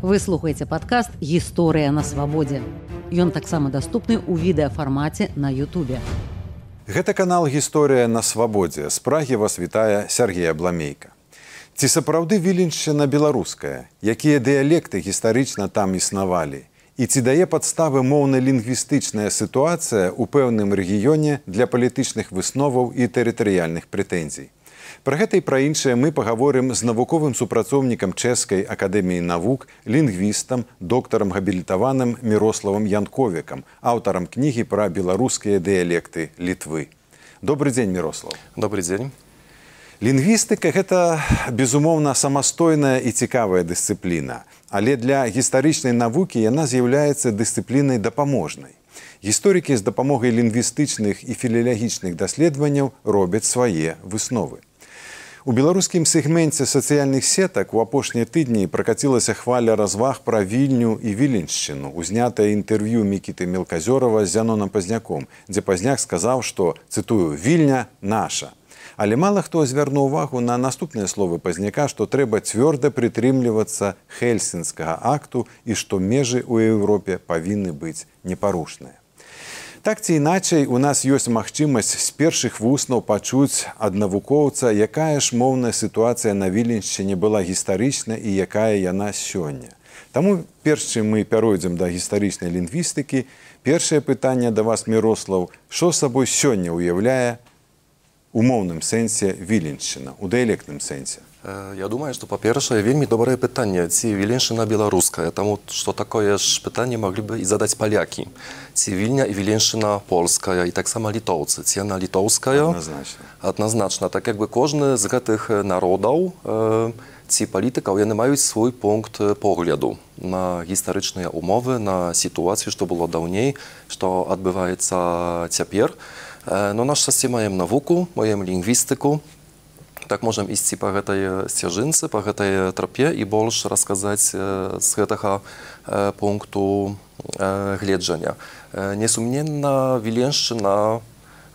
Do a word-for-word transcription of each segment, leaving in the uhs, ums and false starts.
Вы слухаеце падкаст «Гісторыя на свабодзе». Ён таксама даступны ў відэафармаце на Ютубе. Гэта канал «Гісторыя на свабодзе». З Прагі вас вітае Сергей Абламейка. Ці сапраўды Віленшчына беларуская? Якія дыялекты гістарычна там існавалі? І ці дае падставы моўна-лінгвістычная сітуацыя ў пэўным рэгіёне для палітычных высноваў і тэрытарыяльных прэтэнзій? Пра гэта і пра іншае мы пагаворым з навуковым супрацоўнікам Чэшскай акадэміі навук, лінгвістам, доктарам габілітаваным Мірославам Янковікам, аўтарам кнігі пра беларускія дыялекты Літвы. Добры дзень, Мірослав. Добрый дзень. Лінгвістыка – гэта, безумоўна, самастойная і цікавая дысцыпліна, але для гістарычнай навукі яна з'яўляецца дысцыплінай дапаможнай. Гісторыкі з дапамогай лінгвістычных і філілагічных даследаванняў робяць свае высновы. У беларускім сегменце сацыяльных сетак у апошнія тыдні пракацілася хваля разваг пра Вільню і Віленшчыну, узнятае інтэрв'ю Мікіты Мелказёрава з Зяноном Пазняком, дзе Пазняк сказаў, што, цытую, «Вільня наша». Але мала хто звярнуў увагу на наступныя словы Пазняка, што трэба цвёрда прытрымлівацца Хельсінскага акту і што межы ў Еўропе павінны быць непарушныя. Так ці іначай, у нас ёсць магчымасць з першых вуснаў пачуць ад навукоўца, якая ж моўная сітуацыя на Віленшчыне была гістарычна і якая яна сёння. Таму, перш чым мы пяройдзем да гістарычнай лінгвістыкі, першае пытанне да вас, Мірослаў, што сабой сёння ўяўляе у моўным сэнсе Віленшчына, у дыялектным сэнсе? Я думаю, што, па-першае, вельмі добрае пытанне, ці Віленшчына беларуская, таму што такое ж пытанне маглі бы і задаць палякі. Ці Вільня і Віленшчына польская, і таксама літоўцы. Ці яна літоўская? Адназначна. Адназначна. Так як бы кожны з гэтых народаў ці палітыкаў, яны маюць свой пункт погляду на гістарычныя умовы, на сітуацыю, што было даўней, што адбываецца цяпер. Но наш шчасце маем навуку, маем лінгвістыку. Так можам ісці па гэтай сцяжынцы, па гэтай трапе і больш расказаць з гэтага пункту гледжання. Несумненна, Віленшчына,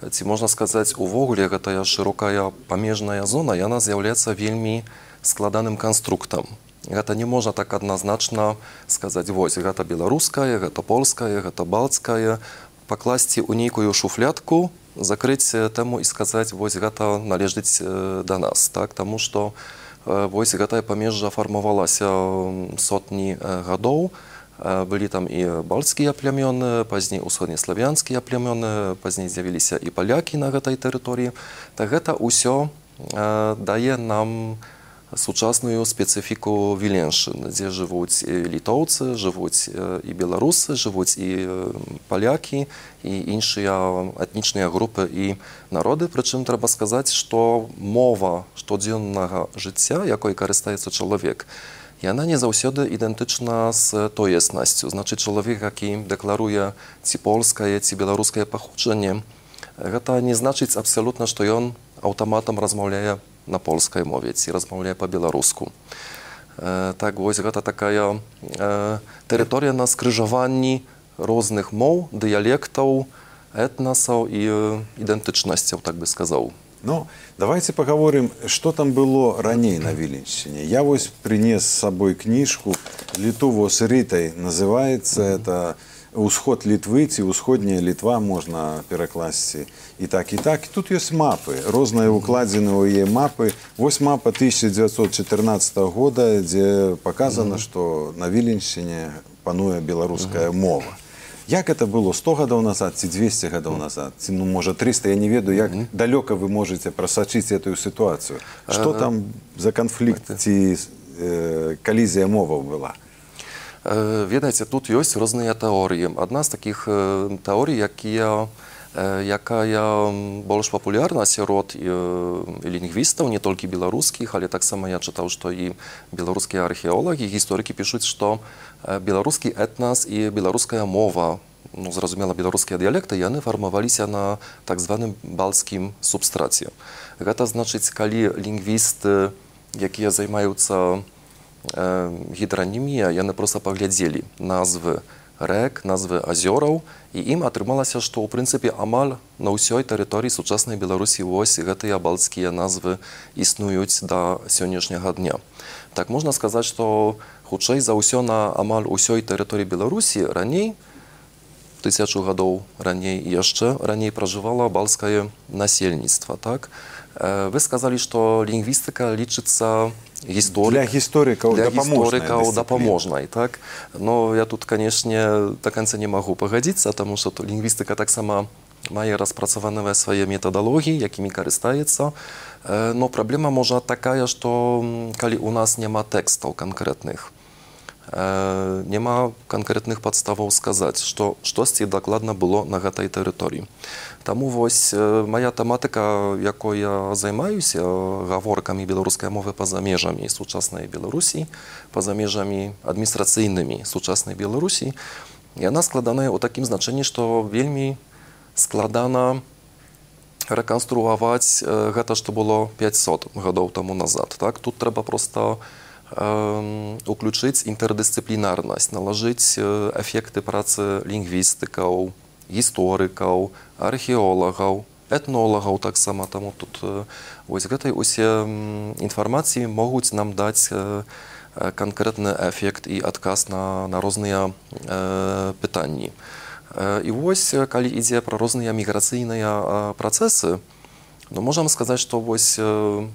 ці можна сказаць, увогуле гэтая шырокая памежная зона, яна з'яўляецца вельмі складаным канструктам. Гэта не можна так адназначна сказаць, вось, гэта беларуская, гэта польская, гэта балтская, пакласці ў нейкую шуфлядку, закрыць тэму і сказаць, вось гэта належыць да нас, так? Таму што вось гэтае памежжа фармавалася сотні гадоў, былі там і бальцкія плямёны, пазней усходнеславянскія плямёны, пазней з'явіліся і палякі на гэтай тэрыторыі. Так гэта ўсё дае нам сучасную спецыфіку Віленшчыны, дзе жывуць і літоўцы, жывуць і беларусы, жывуць і палякі, і іншыя этнічныя групы і народы. Прычым трэба сказаць, што мова штодзённага жыцця, якой карыстаецца чалавек, яна не заўсёды ідэнтычна з тоеснасцю. Значыць, чалавек, які дэкларуе ці польскае, ці беларускае паходжанне, гэта не значыць абсалютна, што ён аўтаматам размаўляе на польскай мове, ці размаўляе па-беларуску. Так, вось гэта такая тэрыторыя на скрыжаванні розных моў, дыялектаў, этнасаў і ідэнтычнасцяў, так бы сказаў. Ну, давайте паговорым, што там было раней на Віленшчыне. Я вось прынес з сабой кніжку «Літово з Рытай», называецца это «Усход Літвы» ці «Усходняя Літва», можна перакласці і так, і так. І тут ёсць мапы, розныя укладзены ў яе мапы. Вось мапа тысяча дзевяцьсот чатырнаццатага года, дзе паказана, што на Віленшчыне пануе беларуская мова. Як это было сто гадоў назад ці дзвесце гадоў назад? Ці, ну, можа, трыста, я не ведаю, як далёка вы можаце прасачыць эту сітуацыю. Што там за канфлікт ці калізія моваў была? Ведаеце, тут ёсць розныя тэорыі. Адна з такіх тэорый, якія, якая больш папулярна сярод лінгвістаў, не толькі беларускіх, але таксама я чытаў, што і беларускія археолагі, гісторыкі пішуць, што беларускі этнас і беларуская мова, ну, зразумела, беларускія дыялекты, яны фармаваліся на так званым балтскім субстраце. Гэта значыць, калі лінгвісты, якія займаюцца гідранімія, яны проста паглядзелі назвы рэк, назвы азёраў, і ім атрымалася, што ў прынцыпе амаль на ўсёй тэрыторыі сучаснай Беларусі вось гэтыя балтскія назвы існуюць да сённяшняга дня. Так можна сказаць, што хутчэй за ўсё на амаль усёй тэрыторыі Беларусі раней, тысячу гадоў раней яшчэ раней пражывала балтскае насельніцтва, так? Вы сказалі, што лінгвістыка лічыцца гісторык... Для гісторыкаў дапаможнай, дапаможнай, так? Но я тут, канешне, да канца не магу пагадзіцца, таму што лінгвістыка таксама мае распрацаваныя свае метадалогіі, якімі карыстаецца. Но праблема можа такая, што калі у нас няма тэкстаў канкрэтных, няма канкрэтных падставаў сказаць, што штосьці дакладна было на гэтай тэрыторыі. Таму вось мая тэматыка, якой я займаюся, гаворкамі беларускай мовы па-за межамі сучаснай Беларусі, па-за межамі адміністрацыйнымі сучаснай Беларусі, яна складаная ў такім значэнні, што вельмі складана рэканструаваць гэта, што было пяцьсот гадоў таму назад. Так? Тут трэба проста уключыць інтэрдысцыплінарнасць, налажыць эфекты працы лінгвістыкаў, гісторыкаў, археолагаў, этнолагаў таксама. Таму тут вось гэтай усе інфармацыі могуць нам даць канкрэтны эфект і адказ на, на розныя э, пытанні. І вось, калі ідзе пра розныя міграцыйныя працэсы, ну, можам сказаць, што вось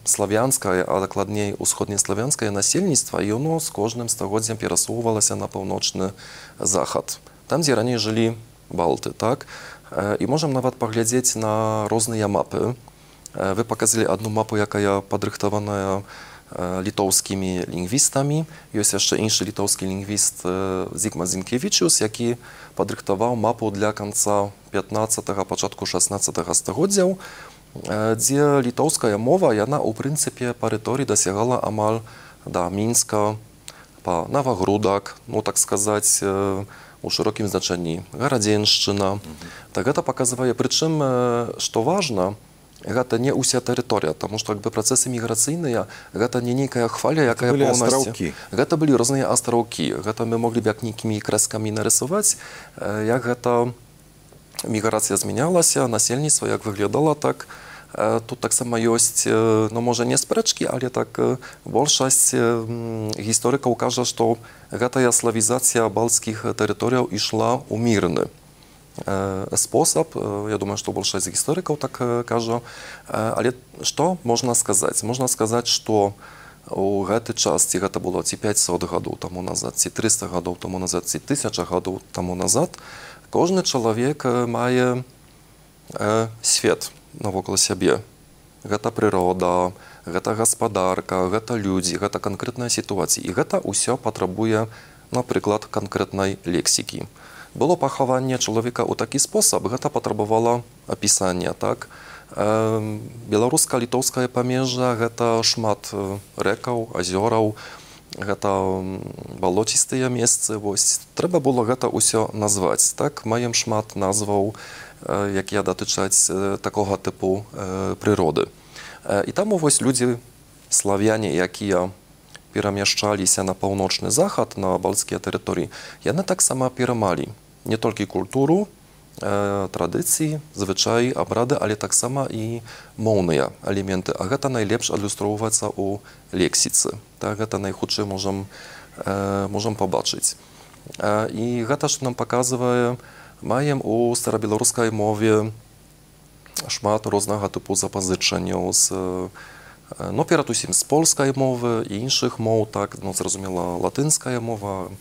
славянскае, а дакладней усходнеславянскае насельніцтва, яно з кожным стагоддзям перасоўвалася на паўночны захад. Там, дзе раней жылі балты, так? І можам нават паглядзець на розныя мапы. Вы паказалі адну мапу, якая падрыхтаваная літоўскімі лінгвістамі. Ёсць яшчэ іншы літоўскі лінгвіст Зігманд Зінкевічус, які падрыхтаваў мапу для канца пятнаццатага, пачатку шаснаццатага стагоддзяў, дзе літоўская мова, яна ў прынцыпе па рыторыі дасягала амаль да Мінска, па Навагрудак, ну так сказаць, у шырокім значэнні гарадзеншчына. Так гэта паказвае, прычым, што важна, гэта не ўся тэрыторыя, таму што якби працэсы міграцыйныя, гэта не нейкая хваля, якая паўнасцю. Гэта былі розныя астраўкі. Гэта мы моглі б як нейкімі крэскамі нарысаваць, як гэта міграцыя змянялася, насельніцтва як выглядала, так. Тут таксама ёсць, ну, можа, не спрэчкі, але так большасць гісторыкаў кажа, што гэтая славізацыя балцкіх тэрыторыяў ішла ў мірны спосаб. Я думаю, што большасць гісторыкаў так кажа. Але што можна сказаць? Можна сказаць, што у гэты час, ці гэта было ці пяцьсот гадоў таму назад, ці трыста гадоў таму назад, ці тысяча гадоў таму назад, кожны чалавек мае свет навокал сябе. Гэта прырода, гэта гаспадарка, гэта людзі, гэта канкрэтная сітуацыя. І гэта ўсё патрабуе, напрыклад, канкрэтнай лексікі. Было пахаванне чалавека ў такі спосаб, гэта патрабавала апісання, так? Беларуска-літоўскае памежжа, гэта шмат рэкаў, азёраў, гэта балоцістыя месцы, вось. Трэба было гэта ўсё назваць, так? Маем шмат назваў, якія датычаць такога тыпу прыроды. І таму вось людзі, славяне, якія перамяшчаліся на паўночны захад, на балцкія тэрыторыі, яны таксама перамалі не толькі культуру, традыцыі, звычаі, абрады, але таксама і моўныя элементы. А гэта найлепш адлюстроўваецца ў лексіцы. Так, гэта найхутчэй можам, можам пабачыць. І гэта ж нам паказвае, маем у старабеларускай мове шмат рознага тыпу запазычанняў з, ну, перад усім з польскай мовы і іншых моў, так, ну, зразумела, латынская мова,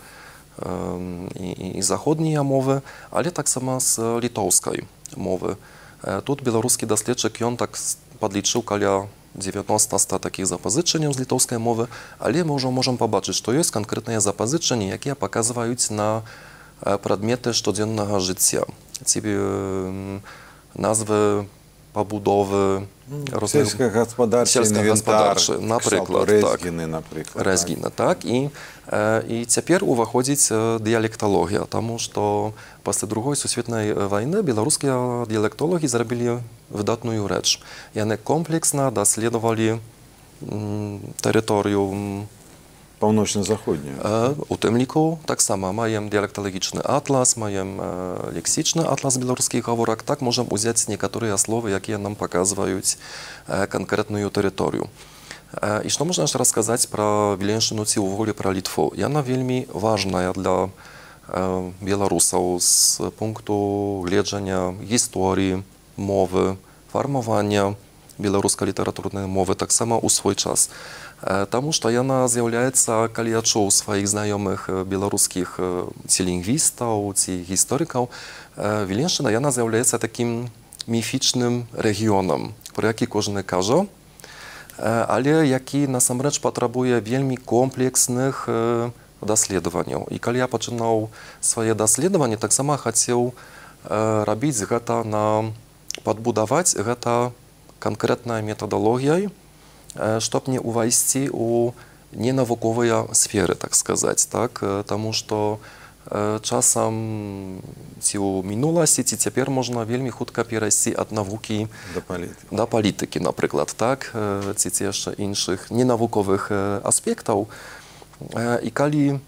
і, і заходнія мовы, але таксама з літоўскай мовы. Тут беларускі даследчык, ён так падлічыў каля дзевяноста такіх запазычанняў з літоўскай мовы, але мы ўжо можам пабачыць, што ёсць канкрэтныя запазычанні, якія паказваюць на прадметы штодзеннага жыцця. Ці назвы пабудовы, сельскагаспадарчы інвентар, напрыклад, рэзгіны, напрыклад. Рэзгіна, так. І, і цяпер уваходзіць дыялекталогія, таму што пасля другой сусветнай вайны беларускія дыялектолагі зрабілі выдатную рэч. Яны комплексна даследавалі тэрыторыю Паўночна-заходнюю. У тым ліку таксама маем дыялекталагічны атлас, маем лексічны атлас беларускіх гаворак. Так можам узяць некаторыя словы, якія нам паказваюць канкрэтную тэрыторыю. І што можна яшчэ расказаць пра Віленшчыну ці ўвогуле пра Літву? Яна вельмі важная для беларусаў з пункту гледжання гісторыі, мовы, фармавання беларускай літаратурнай мовы таксама ў свой час. Таму што яна з'яўляецца, калі я чуў сваіх знаёмых беларускіх ці лінгвістаў, ці гісторыкаў, Віленшчына яна з'яўляецца такім міфічным рэгіёнам, пра які кожны кажа, але які насамрэч патрабуе вельмі комплексных даследаванняў. І калі я пачынаў свае даследаванні, таксама хацеў рабіць гэта на падбудаваць гэта канкрэтнай метадалогіяй, чтоб не увайсці ў ненавуковыя сферы, так сказаць, так? Таму што часам ці ў мінуласці, ці цяпер можна вельмі хутка перайсці ад навукі да палітыкі, да палітыкі, напрыклад, так? Ці ці яшчэ іншых ненавуковых аспектаў. І калі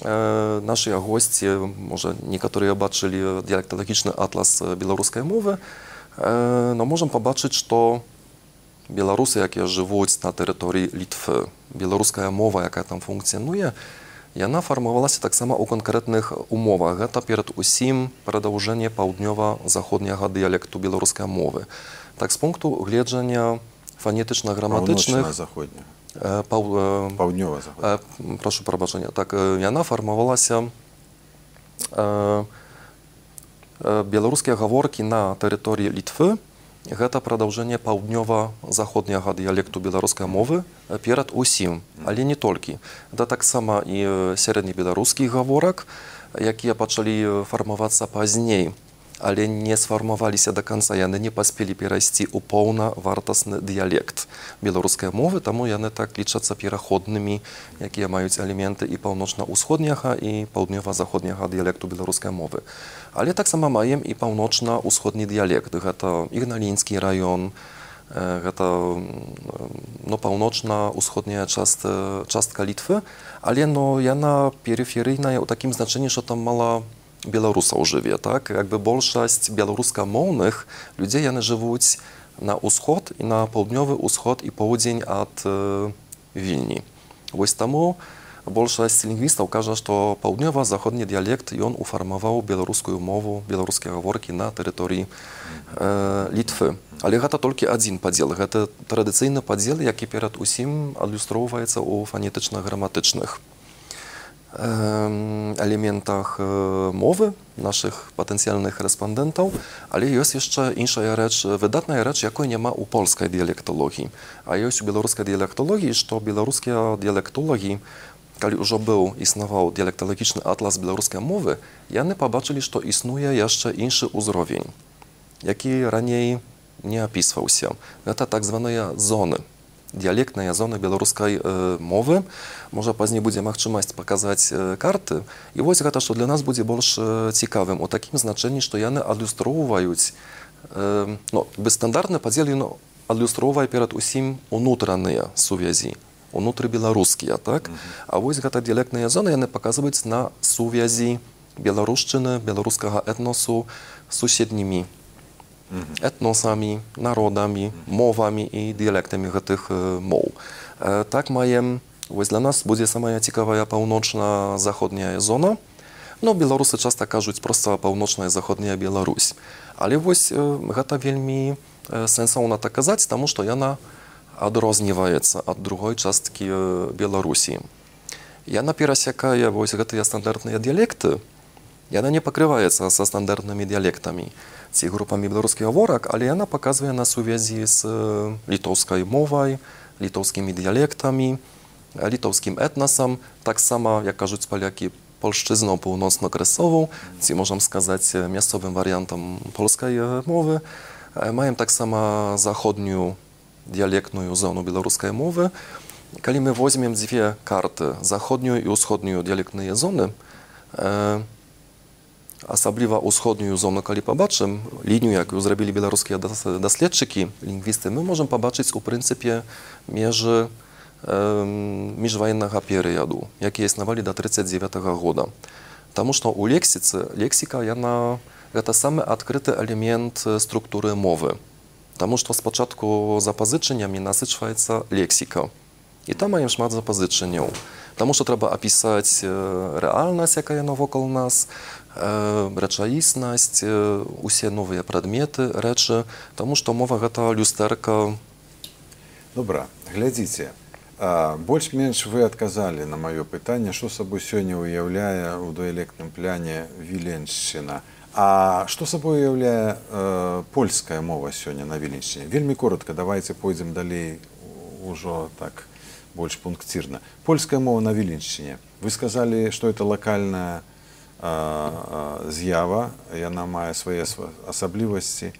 нашыя госці, можа, некаторыя бачылі дыялекталагічны атлас беларускай мовы, но можам пабачыць, што беларусы, якія жывуць на тэрыторыі Літвы, беларуская мова, якая там функцыянуе, яна фармавалася таксама ў канкрэтных умовах. Гэта перад усім прадаўжэнне паўднёва-заходняга дыялекту беларускай мовы. Так, з пункту гледжання фанетычна-граматычных... Паўночна-заходняга. Паў... Паўднёва-заходняга. Прашу прабачэння. Так, яна фармавалася... Беларускія гаворкі на тэрыторыі Літвы гэта прадаўжэнне паўднёва-заходняга дыялекту беларускай мовы перад усім, але не толькі. Гэта таксама і сярэднебеларускіх гаворак, якія пачалі фармавацца пазней, але не сфармаваліся да канца, яны не паспелі перайсці ў паўнавартасны дыялект беларускай мовы, таму яны так лічацца пераходнымі, якія маюць элементы і паўночна-ўсходняга, і паўднёва-заходняга дыялекту беларускай мовы. Але таксама маем і паўночна-ўсходні дыялект. Гэта Ігналінскі раён, гэта ну, паўночна-ўсходняя частка, частка Літвы, але ну, яна перыферыйная ў такім значэнні, што там мала беларусаў жыве, так? Якби большасць беларускамоўных людзей яны жывуць на ўсход і на паўднёвы ўсход і поўдзень ад э, Вільні. Вось таму большасць лінгвістаў кажа, што паўднёва-заходні дыялект ён уфармаваў беларускую мову, беларускія гаворкі на тэрыторыі э, Літвы. Але гэта толькі адзін падзел. Гэта традыцыйны падзел, які перад усім адлюстроўваецца ў фанетычна-граматычных элементах мовы нашых патэнцыяльных рэспандэнтаў, але ёсць яшчэ іншая рэч, выдатная рэч, якой няма ў польскай дыялекталогіі. А ёсць у беларускай дыялекталогіі, што беларускія дыялектолагі, калі ўжо быў існаваў дыялекталагічны атлас беларускай мовы, яны пабачылі, што існуе яшчэ іншы ўзровень, які раней не апісваўся. Гэта так званыя зоны. Дыялектныя зоны беларускай э, мовы. Можа, пазней будзе магчымасць паказаць э, карты. І вось гэта, што для нас будзе больш э, цікавым, у такім значэнні, што яны адлюстроўваюць, э, ну, бесстандартны падзел, ён адлюстроўвае перад усім унутраныя сувязі, унутры беларускія, так? Mm-hmm. А вось гэта дыялектныя зоны, яны паказваюць на сувязі беларушчыны, беларускага этносу з суседнімі этносамі, народамі, мовамі і дыялектамі гэтых моў. Так маем, вось для нас будзе самая цікавая паўночна-заходняя зона. Ну, беларусы часта кажуць проста паўночная заходняя Беларусь. Але вось гэта вельмі сэнсоўна так казаць, таму што яна адрозніваецца ад другой часткі Беларусі. Яна перасякае вось гэтыя стандартныя дыялекты, яна не пакрываецца са стандартнымі дыялектамі ці групамі беларускіх гаворак, але яна паказвае на сувязі з літоўскай мовай, літоўскімі дыялектамі, літоўскім этнасам, таксама, як кажуць палякі, польшчызną północno-kresową, ці можам сказаць мясцовым варыянтам польскай мовы. Маем таксама заходнюю дыялектную зону беларускай мовы. Калі мы возьмем дзве карты, заходнюю і ўсходнюю дыялектныя зоны, асабліва ўсходнюю зону, калі пабачым лінію, якую зрабілі беларускія даследчыкі, лінгвісты, мы можам пабачыць у прынцыпе межы міжваеннага перыяду, які існавалі да тридцать девятого года. Таму што ў лексіцы лексіка яна гэта самы адкрыты элемент структуры мовы. Таму што спачатку запазычаннямі насычваецца лексіка. І там маем шмат запазычанняў. Таму што трэба апісаць рэальнасць, якая навокал нас, рэчаіснасць, усе новыя прадметы, рэчы, таму што мова гэта люстэрка. Добра, глядзіце. Больш-менш вы адказалі на маё пытанне, што сабой сёння уяўляе ў дыялектным пляне Віленшчына. А што сабой уяўляе э, польская мова сёння на Віленшчыне? Вельмі коротка, давайте пойдзем далей ужо так больш пунктирна. Польская мова на Віленшчыне. Вы сказалі, што это лакальная э, э, з'ява, яна мае свае асаблівасці.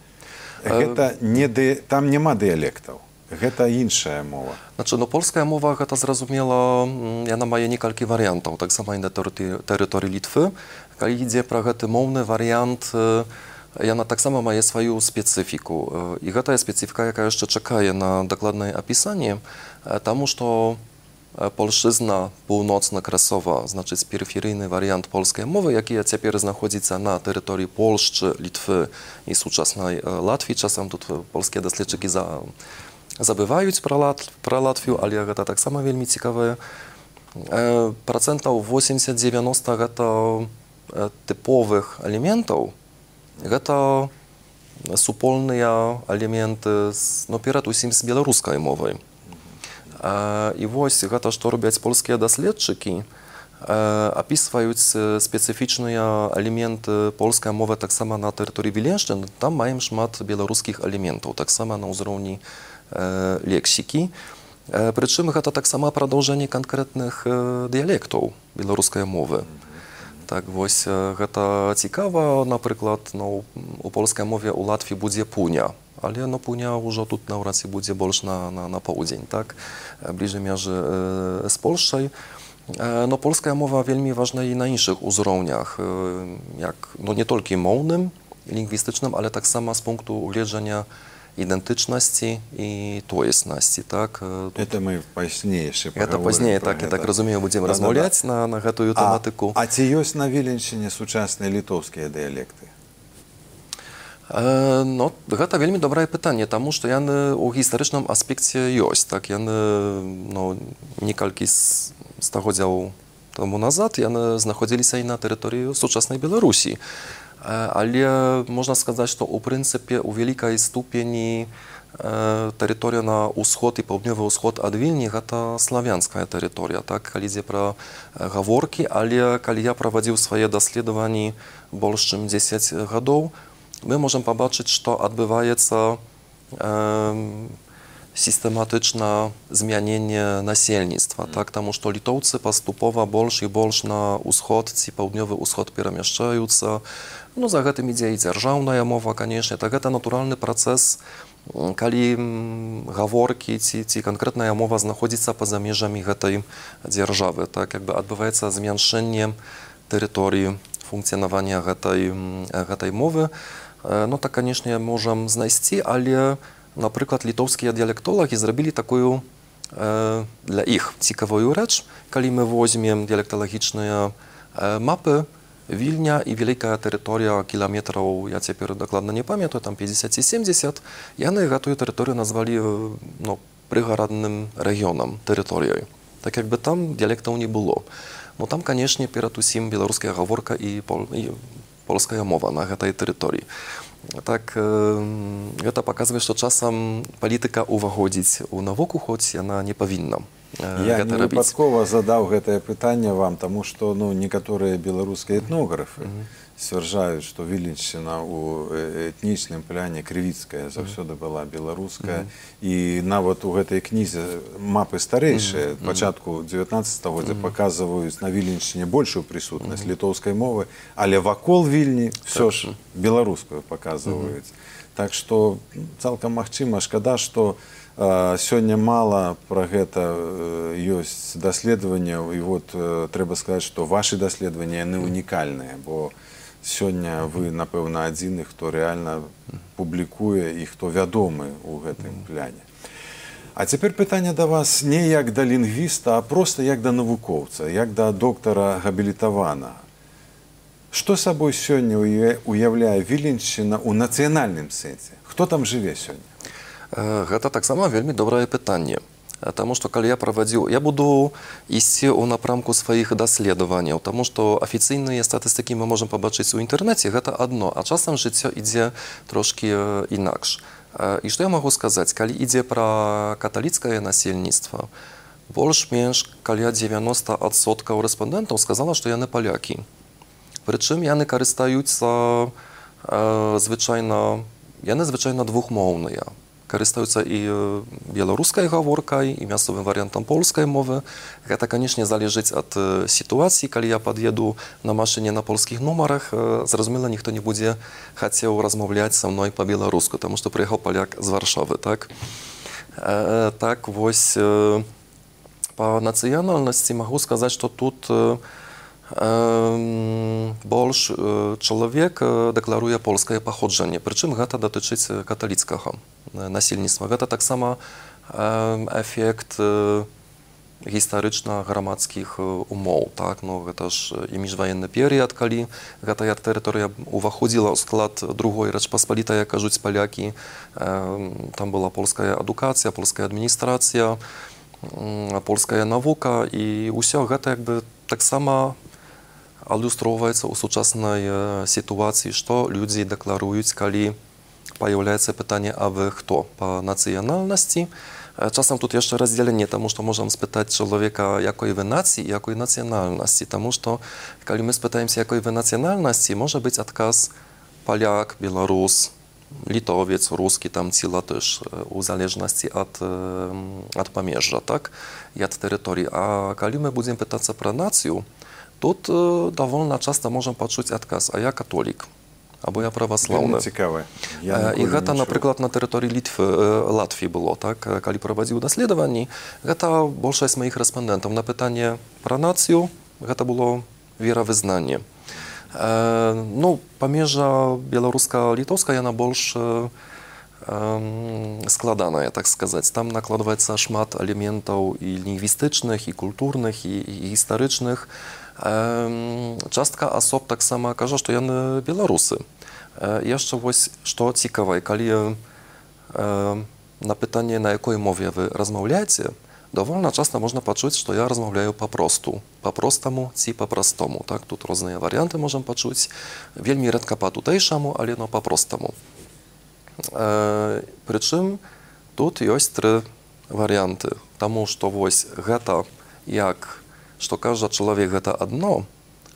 Гэта не ды... Там няма дыялектаў. Гэта іншая мова. Значы, ну, польская мова, гэта зразумела, яна мае некалькі варыянтаў, таксама і на тэрыторыі Літвы. Калі ідзе пра гэты моўны варыянт, яна таксама мае сваю спецыфіку. І гэтая спецыфіка, якая яшчэ чакае на дакладнае апісанне, таму што польшчызна паўночна-красова, значыць, перыферыйны варыянт польскай мовы, які цяпер знаходзіцца на тэрыторыі Польшчы, Літвы і сучаснай Латвіі. Часам тут польскія даследчыкі за забываюць пра, Лат, пра Латвію, але гэта таксама вельмі цікавае. Э, працэнтаў восемьдесят-девяносто гэта э, тыповых элементаў. Гэта супольныя элементы, з, ну, перад усім з беларускай мовай. Э, і вось гэта, што робяць польскія даследчыкі, э, апісваюць спецыфічныя элементы польскай мовы таксама на тэрыторыі Віленшчыны. Там маем шмат беларускіх элементаў, таксама на ўзроўні лексікі. Прычым гэта таксама прадаўжэнне канкрэтных дыялектаў беларускай мовы. Так вось гэта цікава, напрыклад, ну, у польскай мове ў Латвіі будзе пуня, але ну, пуня ўжо тут наўрад ці будзе больш на, на, на паўдзень, так, бліжэй мяжы э, з Польшчай. Э, но польская мова вельмі важна і на іншых узроўнях, э, як, ну, не толькі моўным, лінгвістычным, але таксама з пункту гледжання идентичности и тоеснасти, так? Тут... Это мы пазней ще поговорим. Это пазней, так, я так разумею, будем да, размаўляць да, да. на, на гэтую тематику. А, а ці ёсць на Віленшчыне сучасныя літоўскія дыялекты? Э, ну, гэта вельмі добрае пытанне, таму што яны ў гістарычным аспекце ёсць, так, яны, ну, некалькі стагоддзяў таму назад яны знаходзіліся і на тэрыторыі сучаснай Беларусі. Але можна сказаць, што ў прынцыпе у вялікай ступені тэрыторыя на ўсход і паўднёвы ўсход ад Вільні гэта славянская тэрыторыя, так, калі ідзе пра гаворкі, але калі я правадзіў свае даследаванні больш чым дзесяць гадоў, мы можам пабачыць, што адбываецца э, сістэматычна змяненне насельніцтва, так, таму што літоўцы паступова больш і больш на ўсход ці паўднёвы ўсход перамяшчаюцца. Ну, за гэтым ідзе і дзяржаўная мова, канешне, так гэта натуральны працэс, калі гаворкі ці, ці канкрэтная мова знаходзіцца па-за межамі гэтай дзяржавы, так, як бы адбываецца змяншэнне тэрыторыі функцыянавання гэтай, гэтай мовы. Ну, так, канешне, можам знайсці, але, напрыклад, літоўскія дыялектолагі зрабілі такую э, для іх цікавую рэч, калі мы возьмем дыялекталагічныя э, мапы, Вільня і вялікая тэрыторыя кіламетраў, я цяпер дакладна не памятаю, там пятьдесят ці семьдесят, яны гэтую тэрыторыю назвалі, ну, прыгарадным рэгіёнам, тэрыторыяй. Так як бы там дыялектаў не было. Ну, там, канешне, перад усім беларуская гаворка і, пол, і польская мова на гэтай тэрыторыі. Так, э, гэта паказвае, што часам палітыка ўваходзіць у навуку, хоць яна не павінна. Я не выпадкова задаў гэтае пытанне вам, таму што, ну, некаторыя беларускія этнографы mm -hmm. сцвярджаюць, што Віленшчына ў этнічным пляне крывіцкая заўсёды была беларуская, mm -hmm. і нават у гэтай кнізе мапы старэйшыя, mm -hmm. пачатку дзевятнаццатага стагоддзя, mm -hmm. паказваюць на Віленшчыне большую прысутнасць mm -hmm. літоўскай мовы, але вакол Вільні ўсё ж беларускую паказваюць. Mm -hmm. Так што цалкам магчыма, шкада, што сёння мала пра гэта ёсць даследаванняў, і вот трэба сказаць, што вашы даследаванні яны унікальныя, бо сёння вы, напэўна, адзіны, хто рэальна публікуе і хто вядомы ў гэтым пляне. А цяпер пытанне да вас не як да лінгвіста, а проста як да навукоўца, як да доктара габілітавана. Што сабой сёння уяўляе Віленшчына ў нацыянальным сэнсе? Хто там жыве сёння? Гэта таксама вельмі добрае пытанне. Таму што калі я правадзіў, я буду ісці ў напрамку сваіх даследаванняў, таму што афіцыйныя статыстыкі мы можам пабачыць у інтэрнэце, гэта адно, а часам жыццё ідзе трошкі інакш. І што я магу сказаць, калі ідзе пра каталіцкае насельніцтва, больш-менш каля дзевяноста адсоткаў рэспандэнтаў сказала, што яны палякі. Прычым яны карыстаюцца звычайна, яны звычайна двухмоўныя. Карыстаюцца і беларускай гаворкай, і мясцовым варыянтам польскай мовы. Гэта, канешне, залежыць ад сітуацыі. Калі я пад'еду на машыне на польскіх нумарах, зразумела, ніхто не будзе хацеў размаўляць са мной па-беларуску, таму што прыехаў паляк з Варшавы, так? Так, вось, па нацыянальнасці магу сказаць, што тут больш чалавек дэкларуе польскае паходжанне, прычым гэта датычыць каталіцкага насельніцтва. Гэта таксама эфект гістарычна-грамадскіх умоў. Так? Ну, гэта ж і міжваенны перыяд, калі гэтая тэрыторыя уваходзіла ў склад другой Рэчпаспалітай, як кажуць палякі. Там была польская адукацыя, польская адміністрацыя, польская навука, і ўсё гэта як бы таксама адлюстроўваецца ў сучаснай сітуацыі, што людзі дэкларуюць, калі паяўляецца пытанне, а вы хто па нацыянальнасці. Часам тут яшчэ раздзяленне, таму што можам спытаць чалавека, якой вы нацыі, якой нацыянальнасці, таму што калі мы спытаемся, якой вы нацыянальнасці, можа быць адказ паляк, беларус, літовец, рускі там ці латыш, у залежнасці ад, ад памежжа, так, і ад тэрыторыі. А калі мы будзем пытацца пра нацыю, тут довольно часто можем пачуць адказ, а я католік, або я праваслаўны. Цікава. І гэта, напрыклад, на тэрыторыі Літвы, Латвіі было, так, калі правадзіў даследаванні, гэта большасць маіх рэспандэнтаў на пытанне пра нацыю, гэта было веравызнанне. Ну, памежжа беларуска-літоўская, яна больш складаная, так сказаць. Там накладваецца шмат элементаў і лінгвістычных, і культурных, і, і гістарычных. Частка асоб таксама кажа, што яны беларусы. Яшчэ вось што цікава, калі на пытанне, на якой мове вы размаўляеце, довольно часто можна пачуць, што я размаўляю па-просту, па-простаму ці па-простому. Так, тут розныя варыянты можам пачуць. Вельмі рэдка па-тутэйшаму, але но па-простаму. Прычым тут ёсць тры варыянты, таму што вось гэта як што кажа чалавек, гэта адно,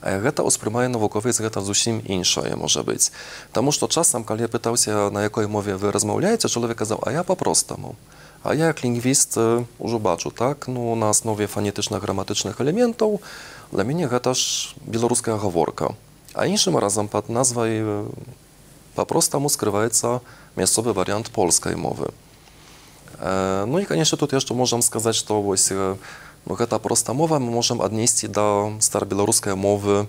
а гэта ўспрымае навуковец, гэта зусім іншае можа быць. Таму што часам, калі я пытаўся, на якой мове вы размаўляеце, чалавек казаў, а я па-простаму. А я як лінгвіст ужо бачу, так, ну, на аснове фанетычна-граматычных элементаў, для мяне гэта ж беларуская гаворка. А іншым разам пад назвай па-простаму скрываецца мясцовы варыянт польскай мовы. Ну і, канешне, тут яшчэ можам сказаць, што вось гэта проста мова мы можам аднесці да старабеларускай мовы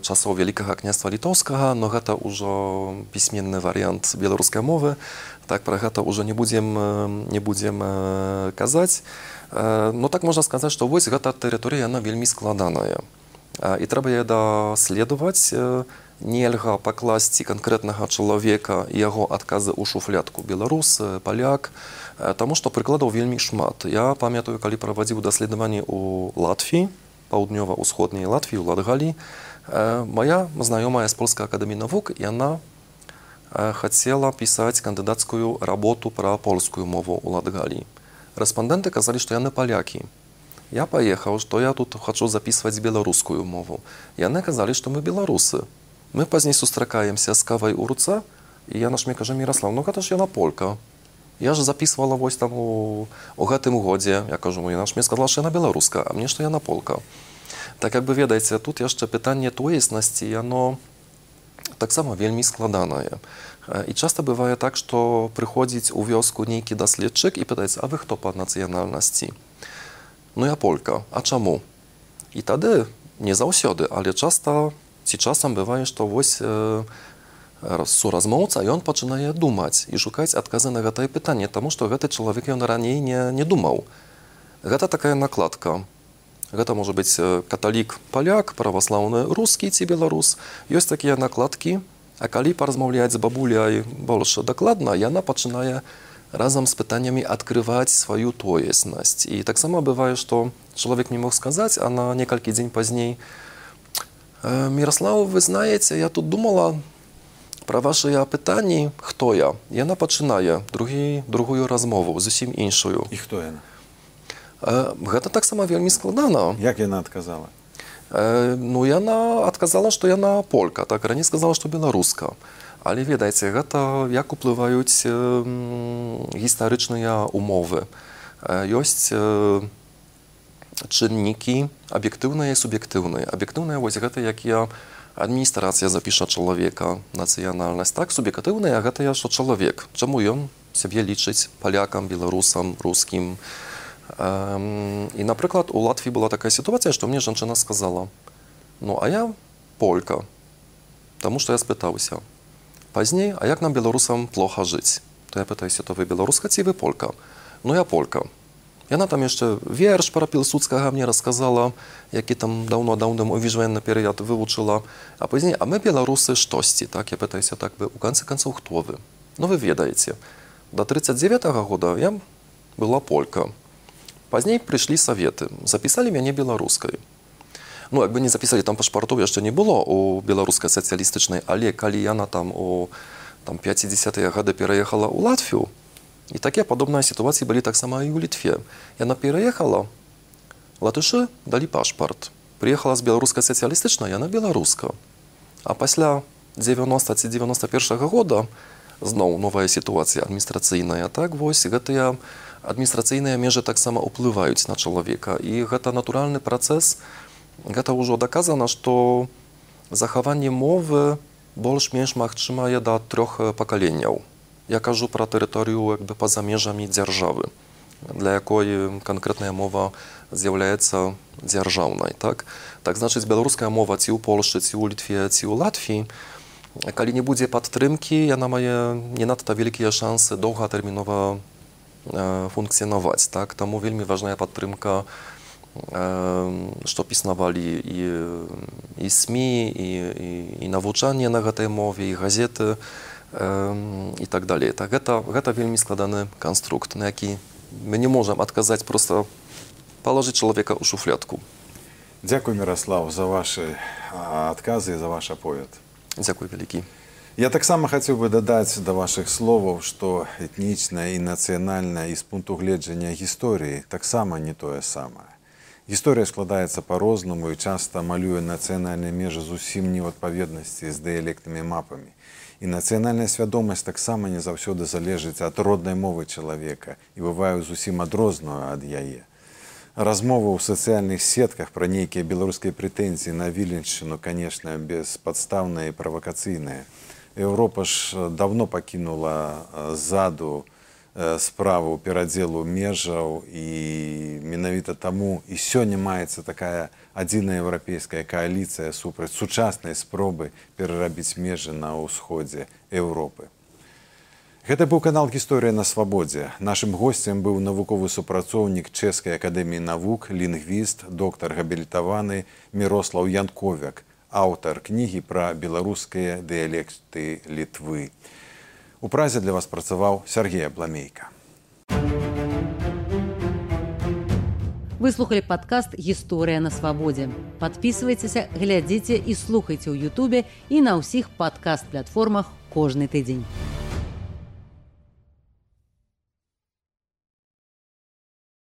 часоў Вялікага княства літоўскага, но гэта ўжо пісьменны варыянт беларускай мовы. Так, пра гэта ўжо не будзем, не будзем казаць. Ну так можна сказаць, што вось гэта тэрыторыя, яна вельмі складаная. І трэба яе даследаваць. Нельга пакласці канкрэтнага чалавека і яго адказы ў шуфлядку. Беларус, паляк, таму што прыкладаў вельмі шмат. Я памятаю, калі правадзіў даследаванні ў Латвіі, паўднёва-ўсходняй Латвіі, ў Латгаліі, моя знаёмая з Польскай акадэміі навук, яна хацела пісаць кандыдацкую работу пра польскую мову ў Латгаліі. Рэспандэнты казалі, што яны палякі. Я паехаў, што я тут хачу запісваць беларускую мову. Яны казалі, што мы беларусы. Мы пазней сустракаемся з кавай у руцэ, і яна ж мне кажа, Міраслаў, ну гэта ж яна полька. Я ж запісвала вось там у, у гэтым годзе. Я кажу, ну яна ж мне сказала, што яна беларуска, а мне, што яна полька. Так, як бы ведаеце, тут яшчэ пытанне тоеснасці, яно таксама вельмі складанае. І часта бывае так, што прыходзіць у вёску нейкі даследчык і пытаецца, а вы хто па нацыянальнасці? Ну я полька, а чаму? І тады не заўсёды, але часта ці часам бывае, што вось суразмоўца, ён пачынае думаць і шукаць адказы на гэтае пытанне, таму што гэты чалавек ён раней не, не думаў. Гэта такая накладка. Гэта можа быць каталік паляк, праваслаўны рускі ці беларус. Ёсць такія накладкі, а калі паразмаўляць з бабуляй больш дакладна, яна пачынае разам з пытаннямі адкрываць сваю тоеснасць. І таксама бывае, што чалавек не мог сказаць, а на некалькі дзень пазней: «Міраслаў, вы знаеце, я тут думала пра вашыя пытанні, хто я?» Яна пачынае другі, другую размову, зусім іншую. І хто яна? Гэта таксама вельмі складана. Як яна адказала? Ну, яна адказала, што яна полька, так, раней сказала, што беларуска. Але, ведаеце, гэта як уплываюць гістарычныя умовы. Ёсць чыннікі аб'ектыўныя і суб'ектыўныя. Аб'ектыўныя, вось гэта якія адміністрацыя запіша чалавека, нацыянальнасць. Так, суб'ектыўныя, гэта я, што чалавек. Чаму ён сябе лічыць палякам, беларусам, рускім. І, напрыклад, у Латвіі была такая сітуацыя, што мне жанчына сказала: «Ну, а я полька». Таму што я спытаўся пазней: «А як нам, беларусам, плоха жыць?» То я пытаюся: «То вы беларуска ці вы полька?» «Ну, я полька». Яна там яшчэ верш пра Пілсудскага мне расказала, які там даўно-даўно ў віжваенны перыяд вывучыла. А пазней: «А мы, беларусы, штосьці». Так, я пытаюся: «Так вы, у канцы канцоў, хто вы?» «Ну, вы ведаеце, да трыццаць дзевятага года я была полька. Пазней прыйшлі саветы, запісалі мяне беларускай». Ну, як бы не запісалі, там пашпартоў яшчэ не было у беларускай сацыялістычнай, але калі яна там у там, пяцідзесятыя гады пераехала ў Латвію, і такія падобныя сітуацыі былі таксама і ў Літве. Яна пераехала, латышы далі пашпарт. Прыехала з беларускай сацыялістычнай, яна беларуска. А пасля дзевяноста ці дзевяноста першага года зноў новая сітуацыя адміністрацыйная. Так, вось гэтыя адміністрацыйныя межы таксама ўплываюць на чалавека. І гэта натуральны працэс. Гэта ўжо даказана, што захаванне мовы больш-менш магчымае да трох пакаленняў. Я кажу пра тэрыторыю як бы па-за межамі дзяржавы, для якой канкрэтная мова з'яўляецца дзяржаўнай. Так, так значыць, беларуская мова ці ў Польшчы, ці ў Літве, ці ў Латвіі, калі не будзе падтрымкі, яна мае не надта вялікія шансы доўгатэрмінова функцыянаваць. Так, таму вельмі важная падтрымка, што піснавалі і, і СМІ, і, і, і навучанне на гэтай мове, і газеты, і так далей. Так, гэта, гэта вельмі складаны канструкт, на які мы не можам адказаць, проста палажыць чалавека ў шуфлядку. Дзякуй, Міраслаў, за вашы адказы і за ваш аповед. Дзякуй вялікі. Я таксама хацеў бы дадаць да вашых словаў, што этнічная і нацыянальная і з пункту гледжання гісторыі таксама не тое самае. Гісторыя складаецца па-рознаму і часта малюе нацыянальныя межы зусім не ў адпаведнасці з дыялектнымі мапамі. І нацыянальная свядомасць таксама не заўсёды залежыць ад роднай мовы чалавека і бывае зусім адрозную ад яе. Размова ў сацыяльных сетках пра нейкія беларускія прэтэнзіі на Віленшчыну, канешне, беспадстаўная і правакацыйная. Еўропа ж давно пакінула ззаду справу перадзелу межаў, і менавіта таму і сёння маецца такая адзіная еўрапейская кааліцыя супраць сучаснай спробы перарабіць межы на ўсходзе Еўропы. Гэта быў канал «Гісторыя на свабодзе». Нашым госцем быў навуковы супрацоўнік Чэшскай акадэміі навук, лінгвіст, доктар габілітаваны Мірослаў Янковяк, аўтар кнігі пра беларускія дыялекты Літвы. У Празе для вас працаваў Сергей Абламейка. Вы слухали падкаст «Гісторыя на свабодзе». Падпісвайцеся, глядзіце і слухайце ў Ютубе і на ўсіх падкаст-платформах кожны тыдзень.